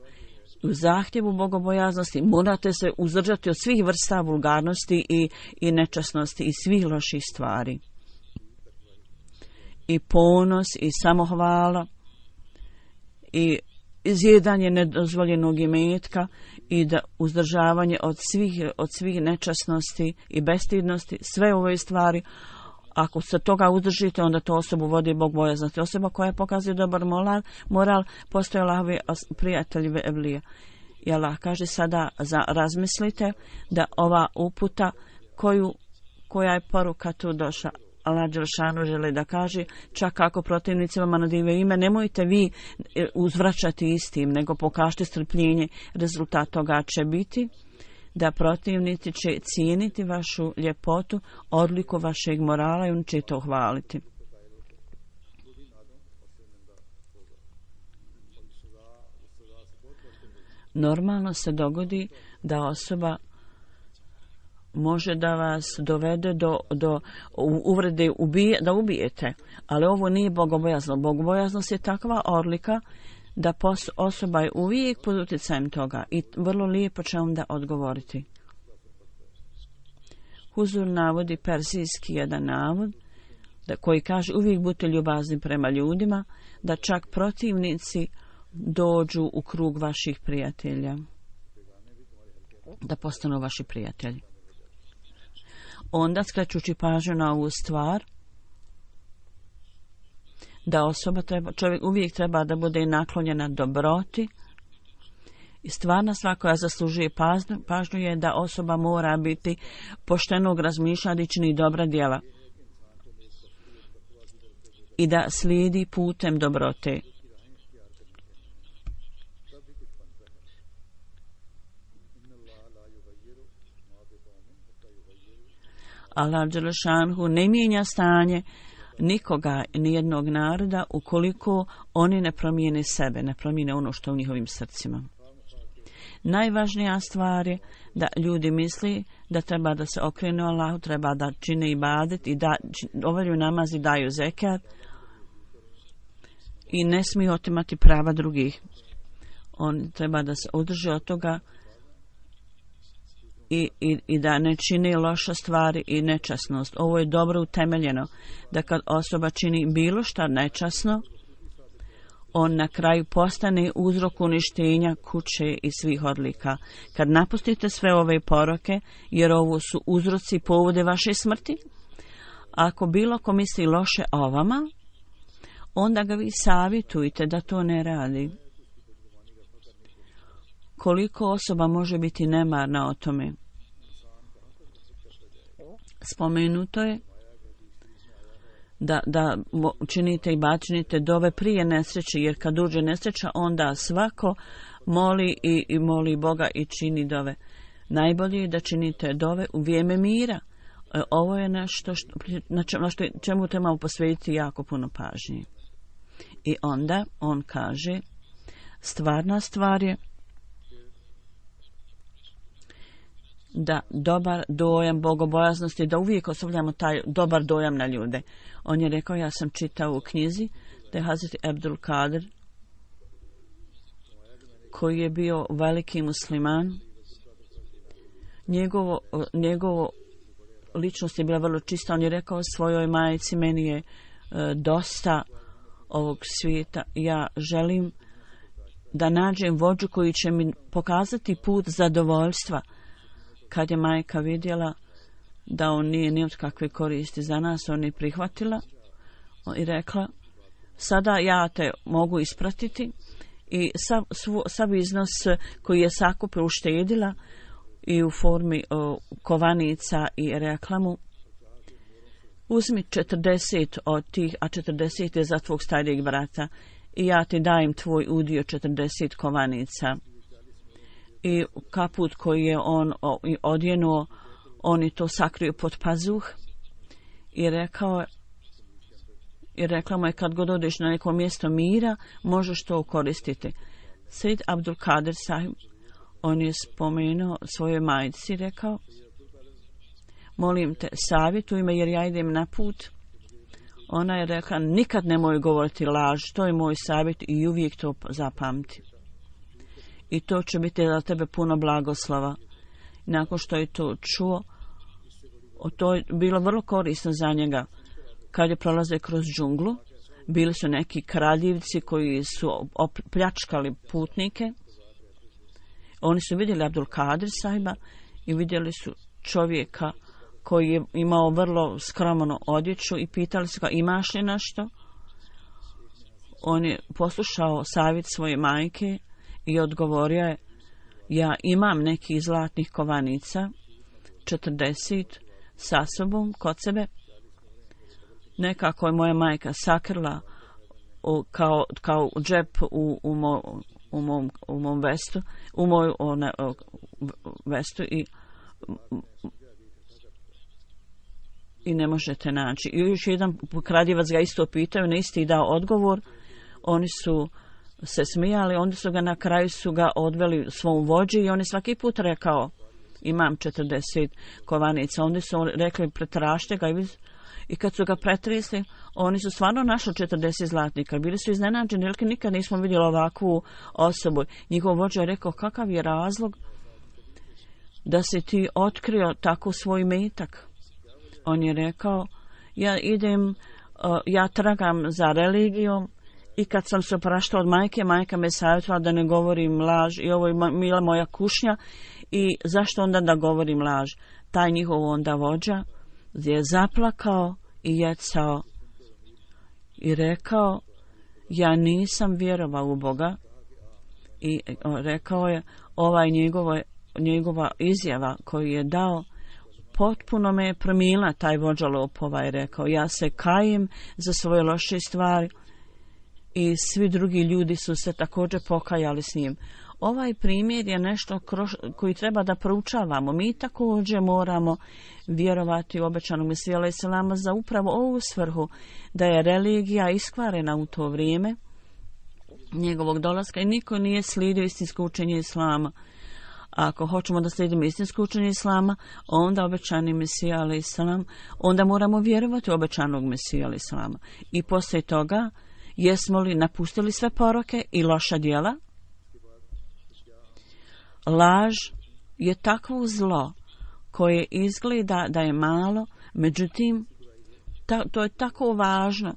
U zahtjevu bogobojaznosti morate se uzdržati od svih vrsta vulgarnosti i nečasnosti i svih loših stvari. I ponos i samohvala i izjedanje nedozvoljenog imetka i da uzdržavanje od svih nečasnosti i bestidnosti, sve ove stvari. Ako se toga uzdržite, onda to osobu vodi bogobojaznosti. Osoba koja pokazuje dobar moral postoje Allahovi prijatelji evlija. I Allah kaže sada razmislite da ova uputa koja je poruka tu došla, Allah dželešanu želi da kaže, čak ako protivnici vama nadivaju ime, nemojte vi uzvraćati istim, nego pokažite strpljenje. Rezultat toga će biti da protivnici će cijeniti vašu ljepotu, odliku vašeg morala i on će to hvaliti. Normalno se dogodi da osoba može da vas dovede do uvrede da ubijete, ali ovo nije bogobojaznost. Bogobojaznost je takva odlika da osoba je uvijek pod utjecajem toga i vrlo lijepo će onda odgovoriti. Huzur navodi persijski jedan navod koji kaže, uvijek budite ljubazni prema ljudima, da čak protivnici dođu u krug vaših prijatelja, da postanu vaši prijatelji. Onda, skrećući pažnju na ovu stvar, da čovjek uvijek treba da bude naklonjena dobroti. I stvarna stvar koja zaslužuje pažnju je da osoba mora biti poštenog razmišljanja i čini dobra djela i da slijedi putem dobrote. Allah dželešanhu ne mijenja stanje nikoga, nijednog naroda, ukoliko oni ne promijene sebe, ne promijene ono što je u njihovim srcima. Najvažnija stvar je da ljudi misli da treba da se okrenu Allahu, treba da čine ibadet i da obavljaju namaz i daju zekat i ne smiju otimati prava drugih. On treba da se udrže od toga i da ne čini loše stvari i nečasnost. Ovo je dobro utemeljeno, da kad osoba čini bilo šta nečasno, on na kraju postane uzrok uništenja kuće i svih odlika. Kad napustite sve ove poroke, jer ovo su uzroci i povode vaše smrti, ako bilo ko misli loše o vama, onda ga vi savjetujte da to ne radi. Koliko osoba može biti nemarna o tome? Spomenuto je da činite i činite dove prije nesreće, jer kad uđe nesreća onda svako moli i moli Boga i čini dove. Najbolje je da činite dove u vrijeme mira. Ovo je nešto čemu trebamo posvetiti jako puno pažnje. I onda on kaže, stvarna stvar je da dobar dojam bogobojaznosti, da uvijek ostavljamo taj dobar dojam na ljude. On je rekao, ja sam čitao u knjizi da je Hazreti Abdul Kadir, koji je bio veliki musliman, njegovo ličnost je bila vrlo čista. On je rekao svojoj majci, meni je dosta ovog svijeta, ja želim da nađem vođu koji će mi pokazati put zadovoljstva. Kad je majka vidjela da on nije ni od kakve koristi za nas, on je prihvatila i rekla, sada ja te mogu ispratiti, i sav iznos koji je sakupila uštedila i u formi kovanica i reklamu, uzmi 40 od tih, a 40 je za tvog starijeg brata, i ja ti dajem tvoj udio 40 kovanica. I kaput koji je on odjenuo, on je to sakrio pod pazuh i rekla mu je, kad god odeš na neko mjesto mira, možeš to koristiti. Sejd Abdul Kadir sahib, on je spomenuo svojoj majci, rekao, molim te, savjetuj me jer ja idem na put. Ona je rekla, nikad nemoj govoriti laž, to je moj savjet i uvijek to zapamti. I to će biti za tebe puno blagoslova. Nakon što je to čuo, to je bilo vrlo korisno za njega. Kad je prolazio kroz džunglu, bili su neki kradljivci koji su pljačkali putnike. Oni su vidjeli Abdul Kadir sahiba i vidjeli su čovjeka koji je imao vrlo skromnu odjeću i pitali su ga, imaš li nešto? On je poslušao savjet svoje majke i odgovorio je, ja imam nekih zlatnih kovanica, 40 sa sobom kod sebe. Nekako je moja majka sakrila kao džep u mom vestu, u moju vestu i ne možete naći. I još jedan kradljivac ga isto pitao, na isti dao odgovor. Oni su se smijali, onda su ga na kraju odveli svom vođi i on je svaki put rekao, imam 40 kovanica. Onda su rekli, pretražite ga, i kad su ga pretresli, oni su stvarno našli 40 zlatnika. Bili su iznenađeni, jer nikad nismo vidjeli ovakvu osobu. Njihov vođa je rekao, kakav je razlog da si ti otkrio tako svoj metak? On je rekao, ja tragam za religijom, i kad sam se opraštao od majka me savjetovala da ne govorim laž, i ovo je mila moja kušnja, i zašto onda da govorim laž? Taj njihov onda vođa je zaplakao i jecao i rekao, ja nisam vjerovao u Boga, i rekao je, njegova izjava koju je dao potpuno me je promijenila. Taj vođa lopova je rekao, ja se kajem za svoje loše stvari, i svi drugi ljudi su se također pokajali s njim. Ovaj primjer je nešto koji treba da proučavamo. Mi također moramo vjerovati u obećanog Mesiju alejhi selama za upravo ovu svrhu, da je religija iskvarena u to vrijeme njegovog dolaska i niko nije slijedio istinsko učenje Islama. Ako hoćemo da slijedimo istinsko učenje Islama, onda obećani Mesija alejhi selam, onda moramo vjerovati u obećanog Mesija alejhi selama. I poslije toga, jesmo li napustili sve poroke i loša djela? Laž je takvo zlo koje izgleda da je malo, međutim, to je tako važno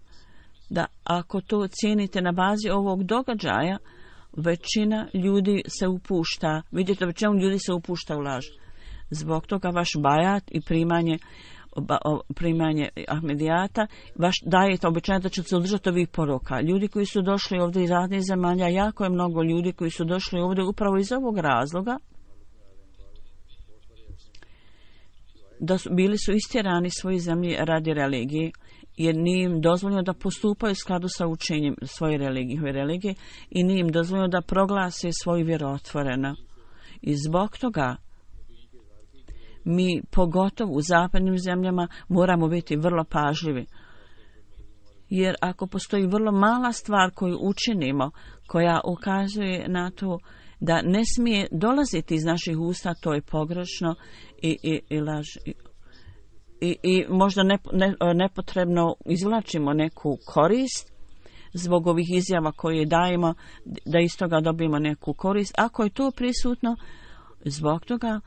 da ako to cijenite na bazi ovog događaja, većina ljudi se upušta, vidite, većina ljudi se upušta u laž. Zbog toga vaš bajat i primanje Ahmedijata vaš dajete obećanje da ćete se održati ovih poroka. Ljudi koji su došli ovdje iz raznih zemalja, jako je mnogo ljudi koji su došli ovdje upravo iz ovog razloga, bili su istjerani svoje zemlje radi religije, jer nije im dozvoljeno da postupaju u skladu sa učenjem svoje religije i nije im dozvoljeno da proglase svoju vjeru otvoreno. I zbog toga mi, pogotovo u zapadnim zemljama, moramo biti vrlo pažljivi. Jer ako postoji vrlo mala stvar koju učinimo, koja ukazuje na to da ne smije dolaziti iz naših usta, to je pogrešno i laž. I možda nepotrebno izvlačimo neku korist zbog ovih izjava koje dajemo, da iz toga dobijemo neku korist. Ako je to prisutno, zbog toga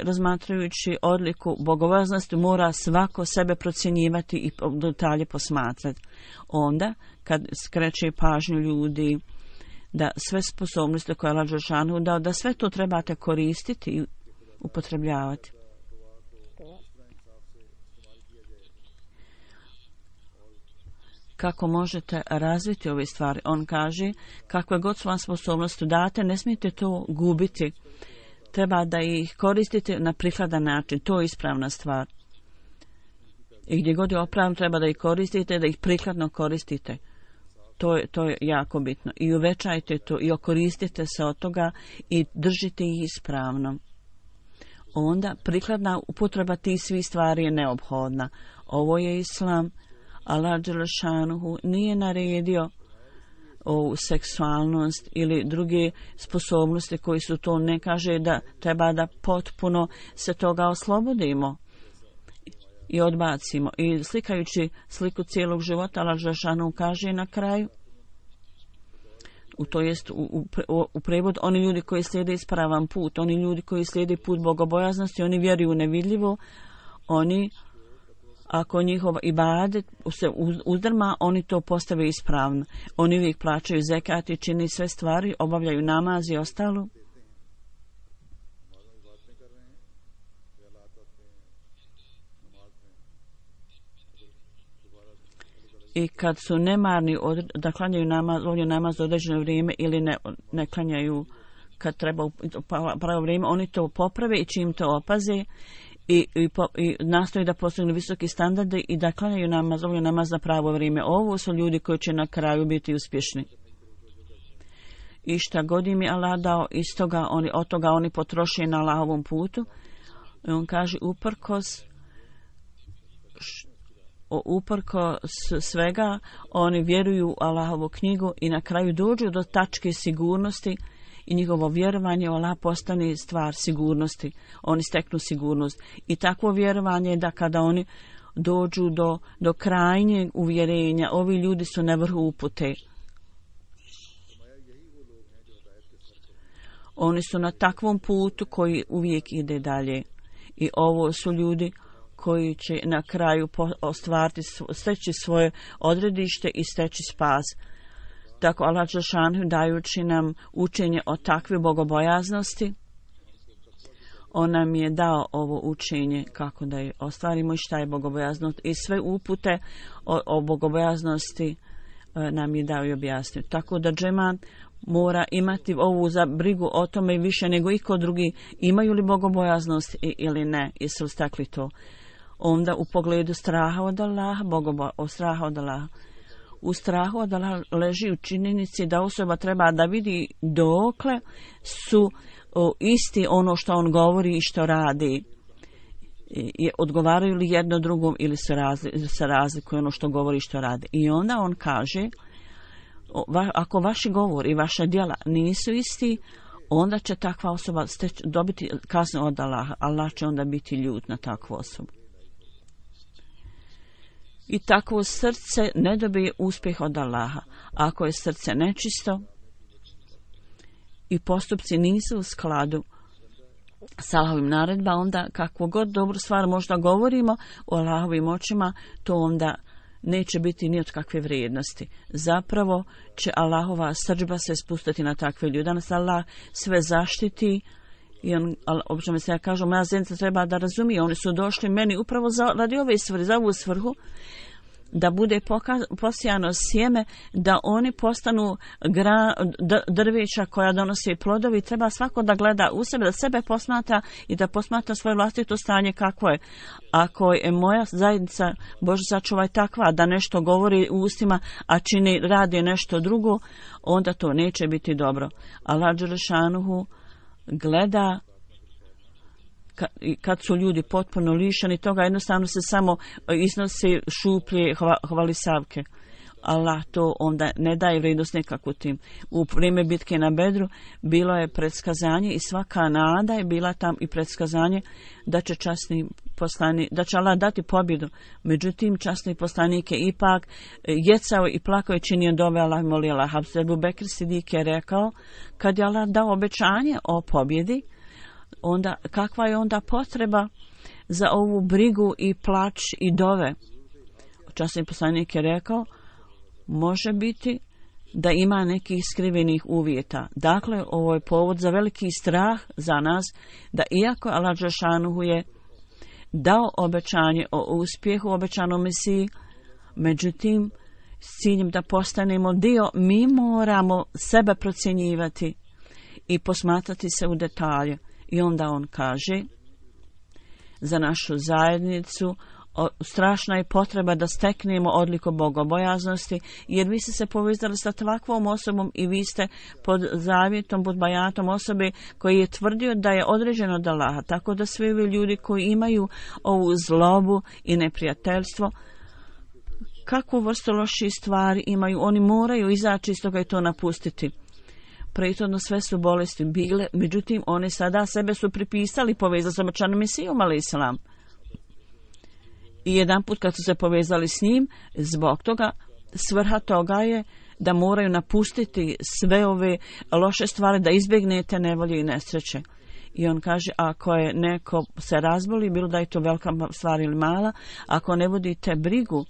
razmatrajući odliku bogobojaznosti mora svako sebe procjenjivati i detalje posmatrati. Onda, kad skreće pažnju ljudi da sve sposobnosti koje Allah dželešanu dao, da sve to trebate koristiti i upotrebljavati. Kako možete razviti ove stvari? On kaže, kakve god su vam sposobnosti date, ne smijete to gubiti. Treba da ih koristite na prikladan način. To je ispravna stvar. I gdje god je opravno, treba da ih koristite, da ih prikladno koristite. To je jako bitno. I uvećajte to i okoristite se od toga i držite ih ispravno. Onda prikladna upotreba tih svih stvari je neophodna. Ovo je islam. Allah dželešanuhu nije naredio ovu seksualnost ili druge sposobnosti koji su to, ne kaže da treba da potpuno se toga oslobodimo i odbacimo. I slikajući sliku cijelog života, Allah dželešanuhu kaže na kraju, to jest u prevod, oni ljudi koji slijede ispravan put, oni ljudi koji slijede put bogobojaznosti, oni vjeruju u nevidljivo, oni, ako njihov ibadet se uzdrma, oni to postave ispravno. Oni uvijek plaćaju zekat i čini sve stvari, obavljaju namaz i ostalo. I kad su nemarni da klanjaju namaz određeno vrijeme ili ne klanjaju kad treba pravo vrijeme, oni to poprave i čim to opaze i nastoji da postignu visoki standarde i da klanjaju namaz na pravo vrijeme. Ovo su ljudi koji će na kraju biti uspješni. I šta god im je Allah dao, od toga oni potroše na Allahovom putu. I on kaže, uprkos svega, oni vjeruju u Allahovu knjigu i na kraju dođu do tačke sigurnosti i njihovo vjerovanje u Allah postane stvar sigurnosti. Oni steknu sigurnost. I takvo vjerovanje je da kada oni dođu do krajnjeg uvjerenja, ovi ljudi su na vrhu upute. Oni su na takvom putu koji uvijek ide dalje. I ovo su ljudi koji će na kraju steći svoje odredište i steći spas. Tako Allah dželešanu dajući nam učenje o takve bogobojaznosti, on nam je dao ovo učenje kako da je ostvarimo i šta je bogobojaznost. I sve upute o bogobojaznosti nam je dao i objasnio. Tako da džemat mora imati ovu za brigu o tome više nego iko drugi, imaju li bogobojaznost ili ne, jesu li stakli to. Onda u pogledu straha od Allaha, straha od Allaha. U strahu od Allaha leži u činjenici da osoba treba da vidi dokle su isti ono što on govori i što radi. Odgovaraju li jedno drugom ili se razlikuje ono što govori i što radi. I onda on kaže, ako vaši govori i vaša djela nisu isti, onda će takva osoba dobiti kaznu od Allaha. Allah će onda biti ljut na takvu osobu. I takvo srce ne dobije uspjeh od Allaha. Ako je srce nečisto i postupci nisu u skladu s Allahovim naredba, onda kakvu god dobru stvar možda govorimo o Allahovim očima, to onda neće biti ni od kakve vrijednosti. Zapravo će Allahova srdžba se spustiti na takve ljude. Danas Allah sve zaštiti i on, obično se ja kažu, moja zajednica treba da razumije, oni su došli meni upravo radi ove svrhe, za ovu svrhu, da bude posijano sjeme, da oni postanu drveća koja donose plodovi. Treba svako da gleda u sebe, da sebe posmatra i da posmatra svoje vlastito stanje kakvo je. Ako je moja zajednica, Bože sačuvaj, takva da nešto govori u ustima, a radi nešto drugo, onda to neće biti dobro. Allah dželešanuhu gleda kad su ljudi potpuno lišeni toga, jednostavno se samo iznose šuplje hvalisavke. Allah to onda ne daje vrijednost nekako tim. U vrijeme bitke na Bedru bilo je predskazanje i svaka nada je bila tam i predskazanje da će časni poslanik, da će Allah dati pobjedu. Međutim, časni poslanik je ipak jecao i plakao i činio dove, Allah molio Allah. Ebu Bekr Sidik je rekao, kad je Allah dao obećanje o pobjedi, onda kakva je onda potreba za ovu brigu i plač i dove? Časni poslanik je rekao, može biti da ima nekih skrivenih uvjeta. Dakle, ovo je povod za veliki strah za nas, da iako Allah dželešanuhu je dao obećanje o uspjehu, obećanom Mesiji, međutim, s ciljem da postanemo dio, mi moramo sebe procjenjivati i posmatrati se u detalje. I onda on kaže, za našu zajednicu strašna je potreba da steknemo odliku bogobojaznosti, jer vi ste se povezali sa takvom osobom i vi ste pod zavjetom, pod bajatom osobe koji je tvrdio da je određen od Allaha. Tako da svi ovi ljudi koji imaju ovu zlobu i neprijateljstvo, kakvu vrstu loših stvari imaju, oni moraju izaći iz toga i to napustiti. Prethodno sve su bolesti bile, međutim oni sada sebe su pripisali, povezali sa obećanim Mesijom alejselam. I jedan put kad su se povezali s njim, zbog toga svrha toga je da moraju napustiti sve ove loše stvari, da izbjegnete nevolje i nesreće. I on kaže, ako je neko se razboli, bilo da je to velika stvar ili mala, ako ne vodite brigu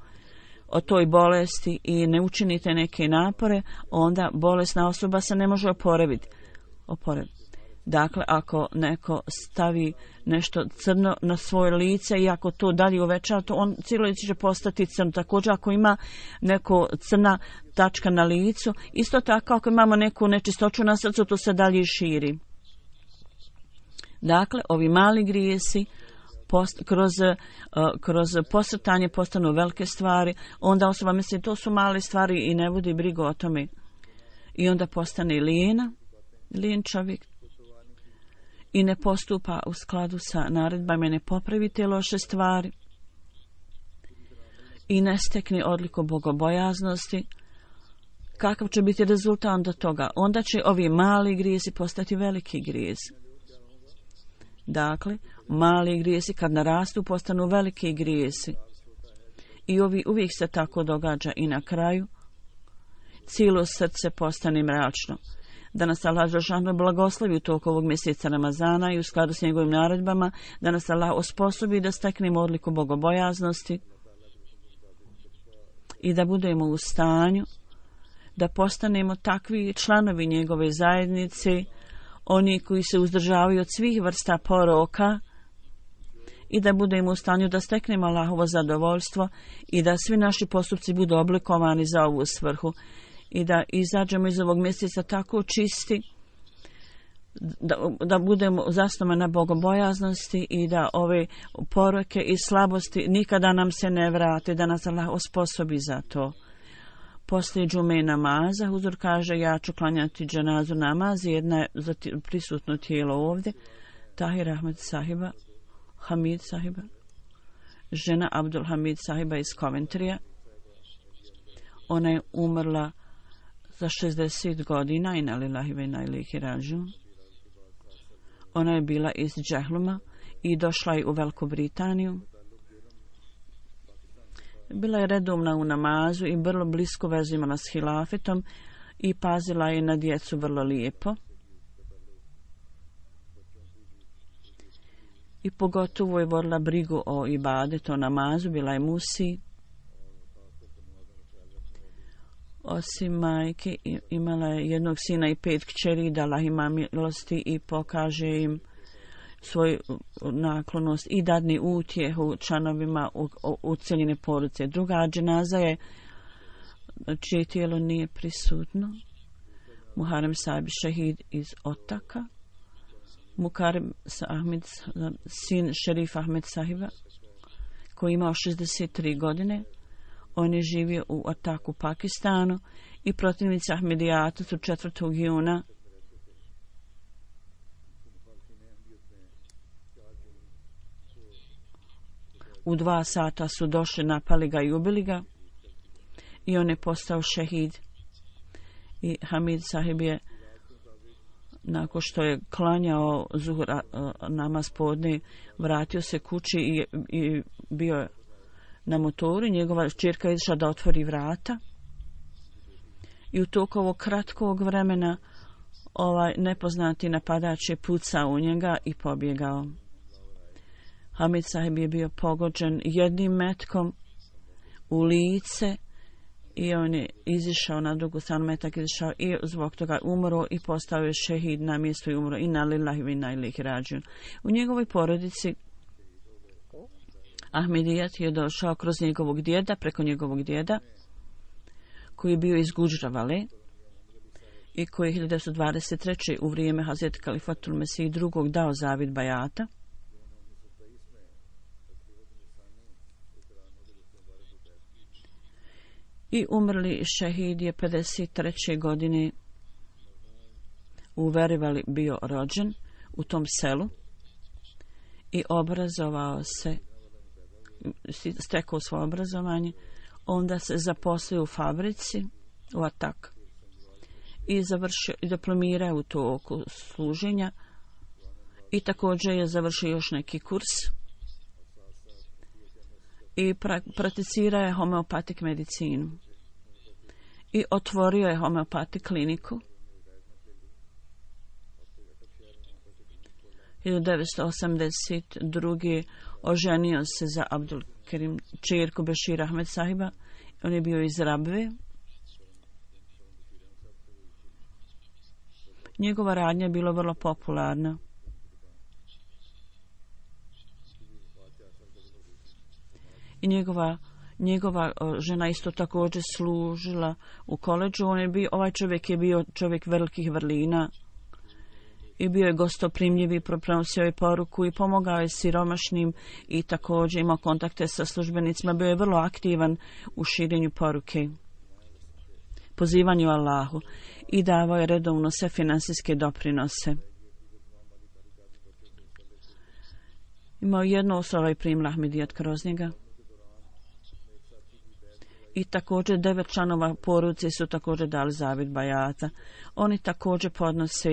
o toj bolesti i ne učinite neke napore, onda bolesna osoba se ne može oporaviti. Dakle, ako neko stavi nešto crno na svoje lice i ako to dalje uvećava, to on cijelo lice će postati crno. Također, ako ima neko crna tačka na licu, isto tako ako imamo neku nečistoću na srcu, to se dalje širi. Dakle, ovi mali grijesi kroz posrtanje postanu velike stvari, onda osoba misli to su male stvari i ne vodi brigu o tome. I onda postane lijen čovjek i ne postupa u skladu sa naredbama, ne popravi te loše stvari i ne stekne odliku bogobojaznosti. Kakav će biti rezultat onda toga? Onda će ovi mali grijesi postati veliki grijesi. Dakle, mali grijesi kad narastu postanu veliki grijesi. I uvijek se tako događa i na kraju cijelo srce postane mračno. Da nas Allah dželešanu blagoslovi u toku ovog mjeseca Ramazana i u skladu s njegovim naredbama, da nas Allah osposobi da steknemo odliku bogobojaznosti i da budemo u stanju da postanemo takvi članovi njegove zajednice, oni koji se uzdržavaju od svih vrsta poroka, i da budemo u stanju da steknemo Allahovo zadovoljstvo i da svi naši postupci budu oblikovani za ovu svrhu i da izađemo iz ovog mjeseca tako čisti da budemo zasnovani na bogobojaznosti i da ove poroke i slabosti nikada nam se ne vrate, da nas Allah osposobi za to. Poslije džume namaza huzur kaže, ja ću klanjati dženazu namaz, jedna je za prisutno tijelo ovdje, Tahir Ahmed sahiba, Hamid sahiba, žena Abdul Hamid sahiba iz Coventrya. Ona je umrla za 60 godina, inna lillahi ve inna ilaihi rađiun. Ona je bila iz Džehluma i došla je u Veliku Britaniju. Bila je redovna u namazu i vrlo blisko vezu imala s hilafetom i pazila je na djecu vrlo lijepo. I pogotovo je vodila brigu o ibadetu, o namazu, bila je musi. Osim majke, imala je jednog sina i 5 kćeri, da Allah ima milosti i pokaže im svoju naklonost i dadni utjehu članovima ucijeljene porodice. Druga dženaza je čije tijelo nije prisutno. Muharrem Sahib šehid iz Otaka. Mukarrem Ahmed, sin šerifa Ahmed Sahiba, koji je imao 63 godine. On je živio u Otaku, Pakistanu, i protivnici Ahmedijata su 4. juna u 2 sata su došli, napali ga i ubili ga i on je postao šehid. I Hamid Sahib je, nakon što je klanjao zuhur namaz podne, vratio se kući i bio je na motoru. Njegova ćerka je išla da otvori vrata i u toku ovog kratkog vremena nepoznati napadač je pucao u njega i pobjegao. Hamid Sahib je bio pogođen jednim metkom u lice i on je izišao na drugu stranu, metak izišao i zbog toga umro i postao je šehid na mjestu i umro. Inna lillahi wa inna ilaihi rađiun. U njegovoj porodici Ahmedijat je došao kroz njegovog djeda, preko njegovog djeda, koji je bio iz Gudžravale i koji je 1923. u vrijeme Hazreti Kalifatul Mesih II. Dao zavid bajata. I umrli šehid je 53. godine u Verivali bio rođen u tom selu i obrazovao se, stekao svoje obrazovanje, onda se zaposlio u fabrici u Atak i završio i diplomirao u toku služenja i također je završio još neki kurs i prakticira je homeopatik medicinu i otvorio je homeopatik kliniku. 1982. oženio se za Abdul Kerim, ćerku Bešira Ahmed Sahiba. On je bio iz Rabve. Njegova radnja je bila vrlo popularna. I njegova žena isto također služila u koledžu. Ovaj čovjek je bio čovjek velikih vrlina i bio je gostoprimljiv i prenosio je poruku i pomogao je siromašnim i također imao kontakte sa službenicima. Bio je vrlo aktivan u širenju poruke, pozivanju Allahu i davao je redovno sve finansijske doprinose. Imao jednu osobu i primila Ahmedijat kroz njega. I također 9 članova porodice su također dali zavid bajata. Oni također podnose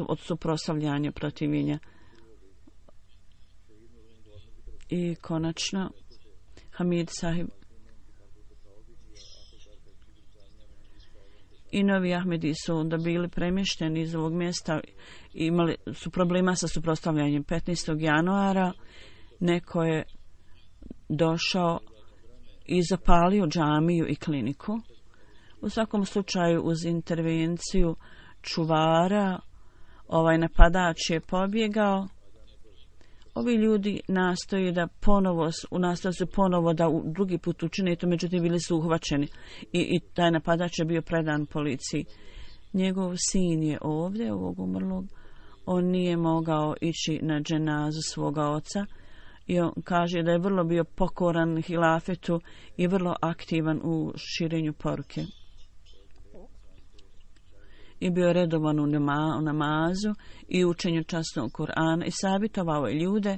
od suprotstavljanja protivljenja. I konačno Hamid Sahib i novi Ahmedi su onda bili premješteni iz ovog mjesta, imali su problema sa suprotstavljanjem. 15. januara neko je došao i zapalio džamiju i kliniku. U svakom slučaju uz intervenciju čuvara napadač je pobjegao. Ovi ljudi nastoje su ponovo da drugi put učine to, međutim bili su uhvaćeni i taj napadač je bio predan policiji. Njegov sin je ovdje, ovog umrlog. On nije mogao ići na dženazu svoga oca i on kaže da je vrlo bio pokoran hilafetu i vrlo aktivan u širenju poruke. I bio je redovan u namazu i učenju časnog Kur'ana i savjetovao je ljude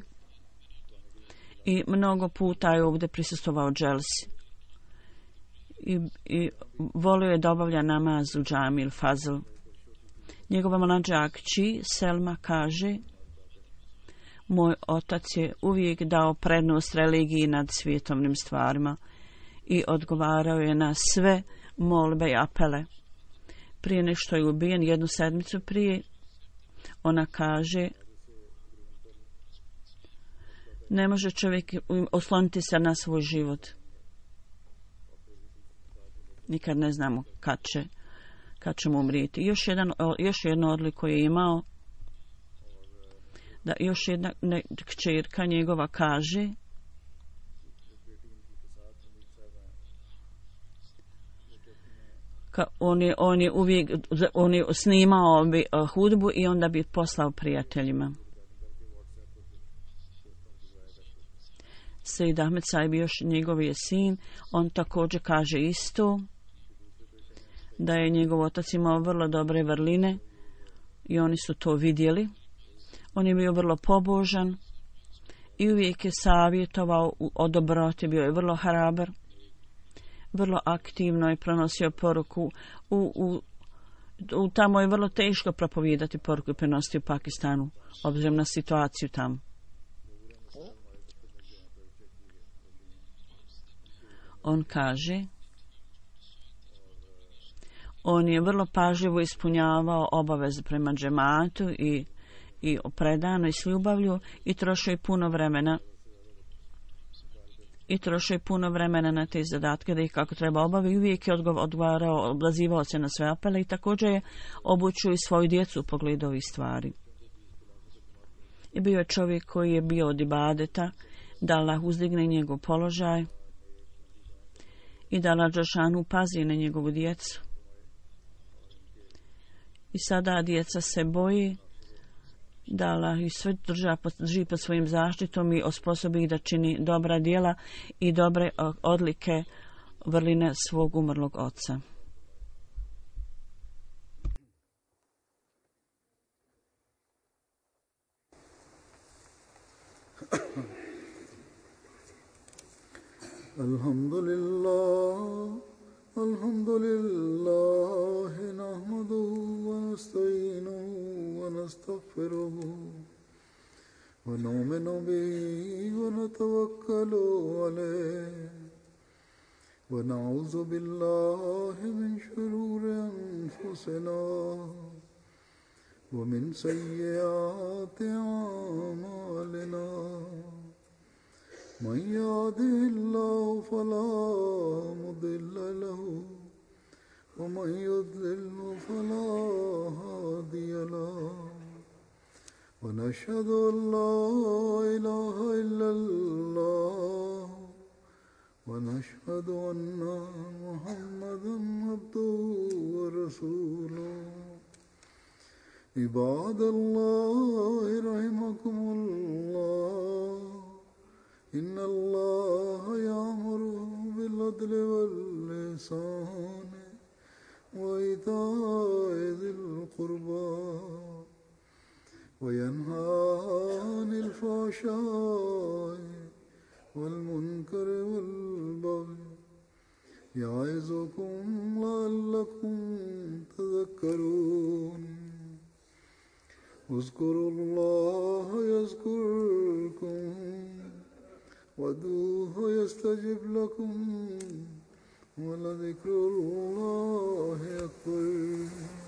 i mnogo puta je ovdje prisustvovao dželsi i volio je da obavlja namaz u džami il fazl. Njegova mlađa kći Selma kaže: moj otac je uvijek dao prednost religiji nad svjetovnim stvarima i odgovarao je na sve molbe i apele. Prije nego što je ubijen, 1 sedmicu prije, ona kaže: ne može čovjek osloniti se na svoj život. Nikad ne znamo kad ćemo umrijeti. Još jednu odliku je imao da još jedna kćerka njegova kaže on je snimao hudbu i onda bi poslao prijateljima. Sejid Ahmed Sahib još njegov je sin, on također kaže isto da je njegov otac imao vrlo dobre vrline i oni su to vidjeli. On je bio vrlo pobožan i uvijek je savjetovao o dobroti, bio je vrlo hrabar, vrlo aktivno je prenosio poruku. Tamo je vrlo teško propovijedati poruku i prenositi u Pakistanu, obzirom na situaciju tamo. On kaže, on je vrlo pažljivo ispunjavao obaveze prema džematu i predano i s ljubavlju i trošio je puno vremena na te zadatke da ih kako treba obavi. Uvijek je odgovarao, odazivao se na sve apele i također je obučio i svoju djecu u pogledu ovih stvari. I bio je čovjek koji je bio od ibadeta, da Allah uzdigne njegov položaj i da Allah Đelešanu pazi na njegovu djecu. I sada djeca se boji da Allah ih sve drži pod svojim zaštitom i osposobi ih da čini dobra djela i dobre odlike vrline svog umrlog oca. Alhamdulillah, nahmaduhu wa nasta'inuhu wa nastaghfiruhu wa nu'minu bihi wa natawakkalu alayhi wa na'udhu billahi min shururi anfusina wa min sayyiati a'malina. من يهده الله فلا مضل له ومن يضلل فلا هادي له ونشهد أن لا إله إلا الله ونشهد أن محمدا عبده ورسوله عباد الله رحمكم الله إن الله يأمر بالعدل والإحسان وإيتاء ذي القربى وينهى عن الفحشاء والمنكر والبغي يعظكم لعلكم تذكرون اذكروا الله يذكركم وادعوه يستجب لكم ولذكر الله أكبر.